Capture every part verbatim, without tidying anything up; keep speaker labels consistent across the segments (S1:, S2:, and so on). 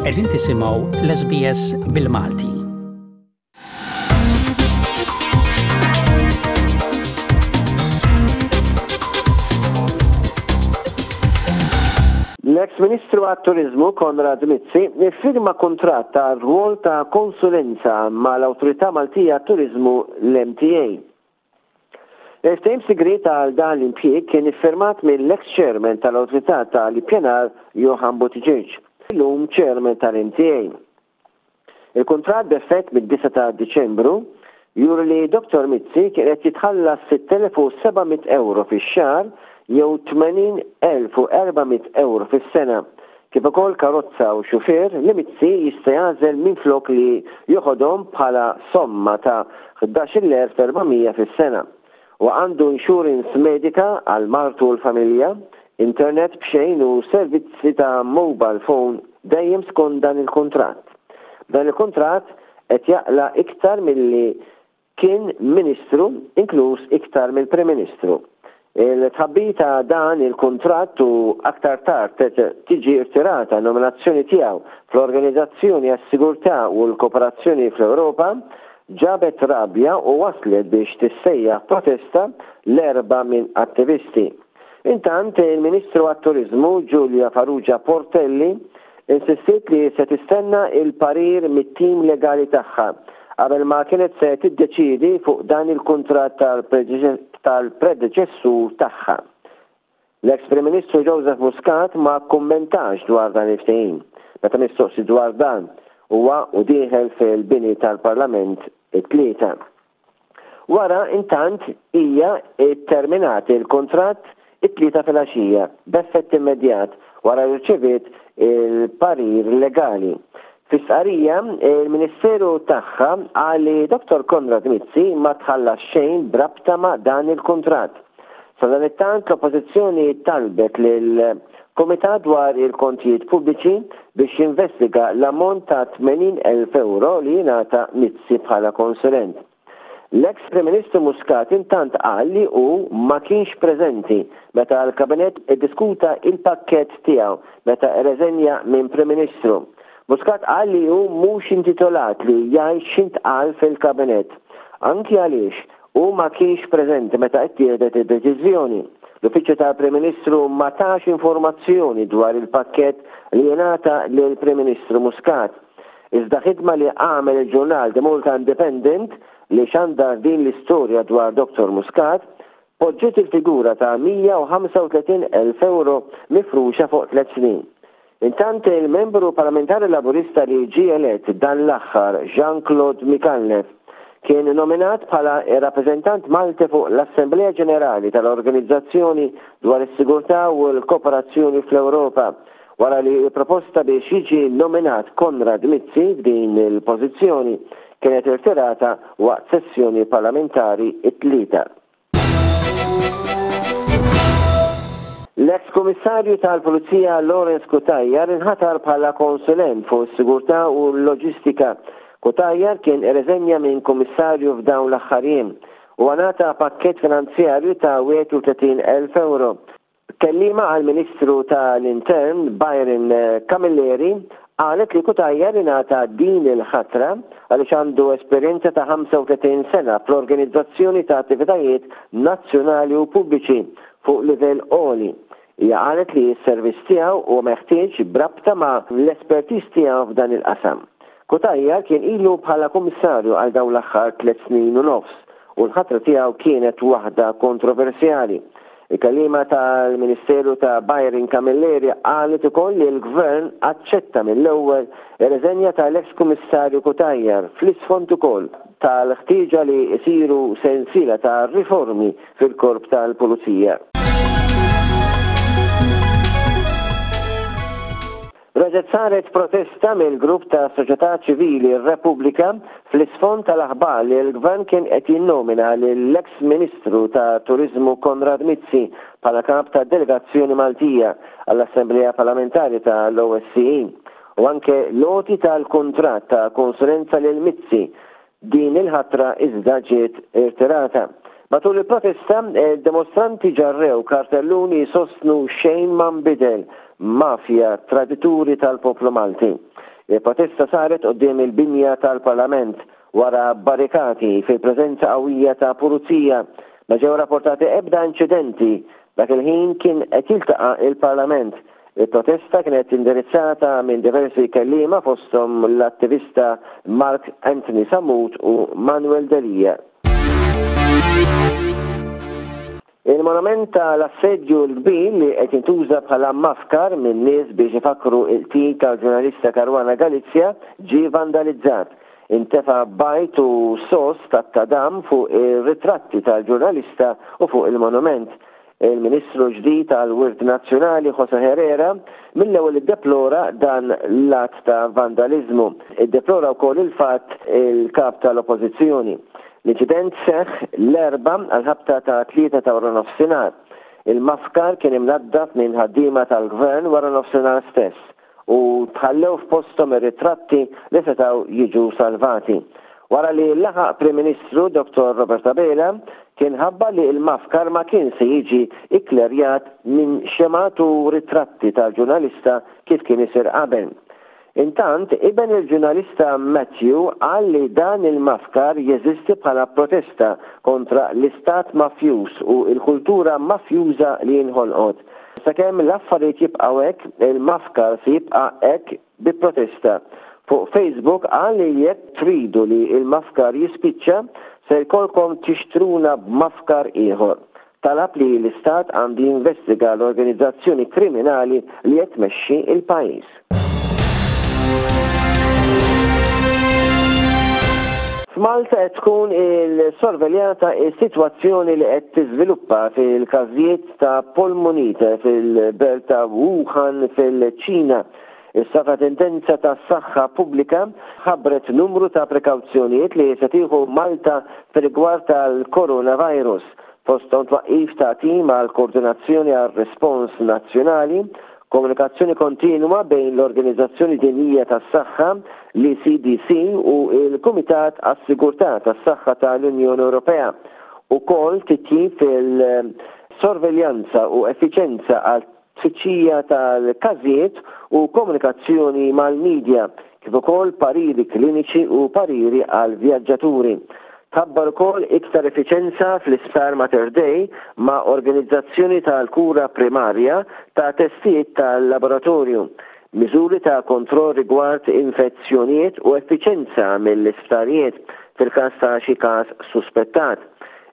S1: Qegħdin tisimgħu l-S B S bil-Malti.
S2: L-ex Ministru għat-Turizmu Konrad Mizzi iffirma kuntratt ta' rwol ta' konsulenza mal-Awtorità Maltija Turizmu, l-M T A. Il-ftehim sigriet għal dan l-impjieg kien iffirmat mill-ex chairman tal-Awtorità tal-Ippjanar Johann Buttigieg, illum chairman tal-M T A. Il-kuntratt, b'effett mid-disgħa ta' Diċembru, juri li Dottor Mizzi kien qed jitħallas sitt elef u seba' mitt euro fix-xahar jew tmenin elf u erba' mitt euro fis-sena, kif ukoll karozza u xufier li Mizzi jista' jagħżel minflok li joħodhom bħala somma ta' ħdax-il elf erba' mija fis-sena. U għandu insurance medika għal martu u l-familja, internet b'xejn u servizzi ta' mobile phone, dejjem skont dan il-kuntratt. Dan il-kuntratt qed jaqla iktar milli kien ministru, inkluż iktar mill-Prim Ministru. Il-tħabbir ta' dan il-kuntratt u aktar tard tiġi irtirata nominazzjoni tiegħu fl-Organizzazzjoni għas-Sigurtà u l-Kooperazzjoni fl-Ewropa ġabet rabja u waslet biex tissejjaħ protesta l-Erbgħa minn attivisti. Intant, il-Ministru għat-Turizmu Julia Farrugia Portelli insistiet li se tistenna il-parir mit-tim legali tagħha qabel ma kienet se tiddeċidi fuq dan il-kuntratt tal-predeċessur tagħha. L-ex Prim Ministru Joseph Muscat ma kummentax dwar dan il-ftehim. Meta mistoqsi dwar dan huwa u dieħel fil-bini tal-Parlament it-Tlieta. Wara, intant, hija terminat il-kontratt it-Tlieta fil-għaxija b'effett immedjat wara li rċeviet il-parir legali. Fi stqarrija, il-Ministeru tagħha qal li Dottor Konrad Mizzi ma tħallas xejn brabta ma' dan il-kuntratt. Sadanittant, l-Oppożizzjoni talbet lil Komitat dwar il-kontijiet pubbliċi biex jinvestiga l-ammont ta' tmenin elf euro li jingħata Mizzi bħala konsulent. L-ex Prim Ministru Muscat intant qal li hu ma kienx preżenti meta l-Kabinett iddiskuta il-pakket tiegħu meta rreżenja minn Prim Ministru. Muscat qal li hu mhux intitolat li jgħid x'intqal fil-Kabinett, anki għaliex hu ma kienx preżenti meta ttieħdet id-deċiżjoni. L-Uffiċċju tal-Prim Ministru ma tax informazzjoni dwar il-pakket li jingħata lill-Prim Ministru Muscat. Iżda ħidma li għamel il-ġurnal The Malta Independent, li xandar din l-istorja dwar Dottor Muscat, poġġiet il-figura ta' mija u ħamsa u tletin elf euro mifruxa fuq tliet snin. Intant, il-membru parlamentari Laburista li ġie elett dan l-aħħar, Jean-Claude Micallef, kien nominat bħala rappreżentant Malti fuq l-Assemblea Ġenerali tal-Organizzazzjoni dwar is-Sigurtà u l-Kooperazzjoni fl-Ewropa wara li proposta biex jiġi nominat Konrad Mizzi f'din il-pożizzjoni kienet irtirata waqt sessjoni parlamentari it-Tlieta. L-ex komissarju tal-Pulizija Lawrence Cutajar inħatar bħala konsulent fuq is-sigurtà u l-loġistika. Cutajar kien irreżenja minn komissarju f'dawn l-aħħar jiem u ngħata pakket finanzjarju ta' wieħed u tletin elf euro. Kellima għal-Ministru tal-Intern Byron Camilleri qalet li Cutajar ingħata din il-ħatra għaliex għandu esperjenza ta' ħamsa u tletin sena fl-organizzazzjoni ta' attivitajiet nazzjonali u pubbliċi fuq livell għoli. Hija qalet li s-servizz tiegħu huwa meħtieġ brabta ma' l-espertiż tiegħu f'dan il-qasam. Cutajar kien ilu bħala kummissarju għal dawn l-aħħar tliet snin u nofs u l-ħatra tiegħu kienet waħda kontroversjali. Il-kellima tal-Ministeru ta' Byron Camilleri qalet ukoll li l-Gvern aċċetta mill-ewwel ir-reżenja tal-ex kummissarju Cutajar fl-isfond ukoll tal-ħtieġa li jsiru sensiela ta' riformi fil-korp tal-Pulizija. Reġgħet saret protesta mill-grupp ta' soċjetà ċivili Repubblika fl-isfond tal-aħbar li l-gvern kien qed jinnomina lill-ex Ministru ta' Turizmu Konrad Mizzi bħala kap ta' delegazzjoni Maltija għall-Assemblea Parlamentari tal-O S C E u anke l-għoti tal-kuntratt ta' konsulenza lil Mizzi. Din il-ħatra iżda ġiet irtirata. Matul il-protesta, dimostranti ġarrew kartelluni sostnu "Xejn ma nbidel, mafja, tradituri tal-poplu Malti". Il-protesta saret quddiem il-binja tal-Parlament wara barrikati fil-preżenza qawwija ta' pulizija. Ma ġew rapportati ebda inċidenti. Dak il-ħin kien qed jiltaqa' il-Parlament. Il-protesta kienet indirizzata minn diversi kelliema, fosthom l-attivista Mark Anthony Sammut u Manuel Delia. Il-monument tal-Assedju l-Kbir, li qed jintuża bħala mafkar minn nies biex ifakru il-qtil tal-ġurnalista Caruana Galizia, ġie vandalizzat. Intefa bajd u sos tat-tadam fuq ir-ritratti tal-ġurnalista u fuq il-monument. Il-Ministru ġdid tal-Wirt Nazzjonali Jose Herrera mill-ewwel iddeplora dan l-att ta' vandalizmu. Iddeplora wkoll il-fatt il-kap tal-Oppożizzjoni. L-inċident seħħ l-Erbgħa għal-ħabta ta' tlieta ta' wara nofsinhar. Il-mafkar kien imnaddaf minn ħaddiema tal-gvern wara nofsinhar stess u tħallew f'posthom ir-ritratti li setgħu jiġu salvati. Wara li laħaq Prim Ministru Doktor Robert Abela kien ħabbar li il-mafkar ma kien se jiġi ikklerjat minn xemgħat u ritratti tal-ġurnalista kif kien isir qabel. Intant, iben il-ġurnalista Matthew qal li dan il-mafkar jeżisti bħala protesta kontra l-istat mafjuż u l-kultura mafjuża li inħolqot. Sakemm l-affarijiet jibqgħu hekk, il-mafkar se jibqa' hekk bi protesta. Fuq Facebook qal li jekk tridu li il-mafkar jispiċċa, se jkollkom tixtruna b'mafkar ieħor. Talab li l-istat għandu jinvestiga l-organizzazzjoni kriminali li qed tmexxi il-pajjiż. F'Malta qed tkun il-sorveljata is-sitwazzjoni li qed tiżviluppa fil-każijiet ta' polmonite fil-belt ta' Wuhan fil-Ċina. Is-Sovraintendenza tas-Saħħa Pubblika ħabbret numru ta' prekawzjonijiet li se tieħu Malta fir-rigward tal-coronavirus, fosthom twaqqif ta' tim għal koordinazzjoni għal respons nazzjonali, komunikazzjoni kontinwa bejn l-Organizzazzjoni Dinjija tas-Saħħa, l-E C D C, u l-Kumitat għas-Sigurtà tas-Saħħa tal-Unjoni Ewropea, ukoll titjib fil-sorveljanza u effiċenza għal tfittxija tal-każijiet u komunikazzjoni mal-medja, kif ukoll pariri kliniċi u pariri għal vjaġġaturi. Tħabbar ukoll iktar effiċenza fl-Isptar Mater Dei ma' organizzazzjoni tal-kura primarja ta' testijiet tal-laboratorju, miżuri ta' kontroll rigward infezzjonijiet u effiċenza mill-isptarijiet fil-każ ta' xi każ suspettat.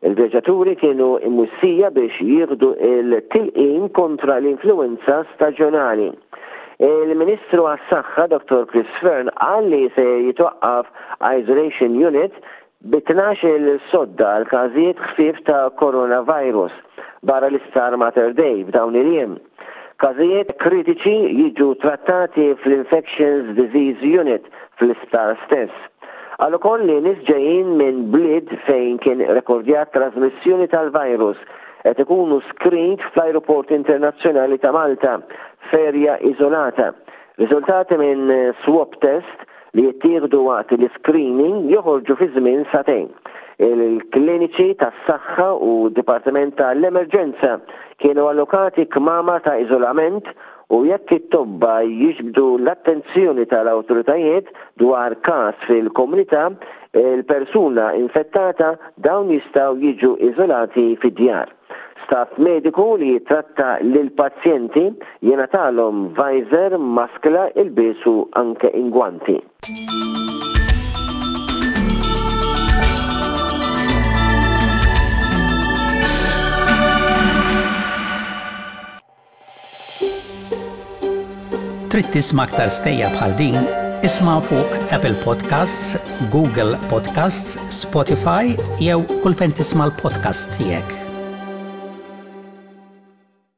S2: Il-vjaġġaturi kienu imwissija biex jieħdu il-tilqim kontra l-influenza staġjonali. Il-Ministru għas-Saħħa Doktor Chris Fearne qal li se jitwaqqaf Isolation Unit bi tnax-il sodda għal każijiet ħfief ta' coronavirus barra l-Isptar Mater Dei f'dawn il-jiem. Każijiet kritiċi jiġu trattati fl-Infectious Disease Unit fl-isptar stess. Qal ukoll li nies ġejjin minn bliet fejn kien rekordjat trasmissjoni tal-virus qed ikunu screened fl-Ajruport Internazzjonali ta' Malta f'erja iżolata. Riżultati minn swab test li jittieħdu waqt l-screening joħorġu fi żmien sagħtejn. Il-kliniċi tas-saħħa u d-Dipartiment tal-Emerġenza kienu allokati kmamar ta' iżolament u jekk it-tobba jiġbdu l-attenzjoni tal-awtoritajiet dwar każ fil-komunità, il-persuna infettata, dawn jistgħu jiġu iżolati fid-djar. Staff mediku li jitratta lil pazjenti jingħatalhom visor, maskla, ilbies u anke ingwanti.
S1: Trid tisma' aktar stejjer bħal din? Isma' fuq Apple Podcasts, Google Podcasts, Spotify jew kull fejn tisma' l-podcast tiegħek.